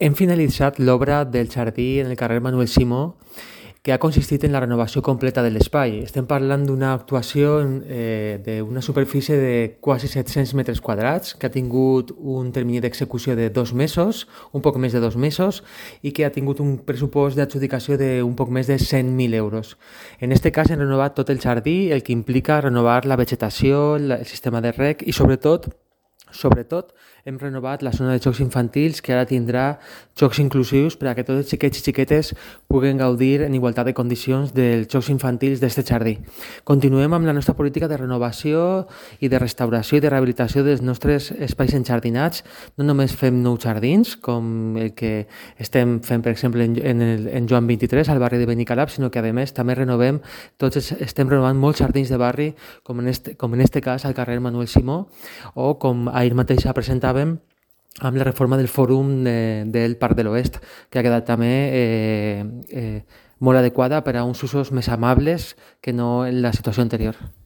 Hem finalitzat l'obra del jardí en el carrer Manuel Simó, que ha consistit en la renovació completa de l'espai. Estem parlant d'una actuació d'una superfície de quasi 700 metres quadrats, que ha tingut un termini d'execució de 2 mesos, un poc més de 2 mesos, i que ha tingut un pressupost d'adjudicació d'un poc més de 100.000 euros. En aquest cas hem renovat tot el jardí, el que implica renovar la vegetació, el sistema de reg i sobretot hem renovat la zona de jocs infantils, que ara tindrà jocs inclusius per a que tots els xiquets i xiquetes puguen gaudir en igualtat de condicions dels jocs infantils d'aquest jardí. Continuem amb la nostra política de renovació i de restauració i de rehabilitació dels nostres espais enjardinats. No només fem nous jardins, com el que estem fent, per exemple, en Joan 23, al barri de Benicalap, sinó que, a més, també estem renovant molts jardins de barri, com en este cas al carrer Manuel Simó, o com ahir mateix presentàvem amb la reforma del fòrum del Parc de l'Oest, que ha quedat també molt adequada per a uns usos més amables que no en la situació anterior.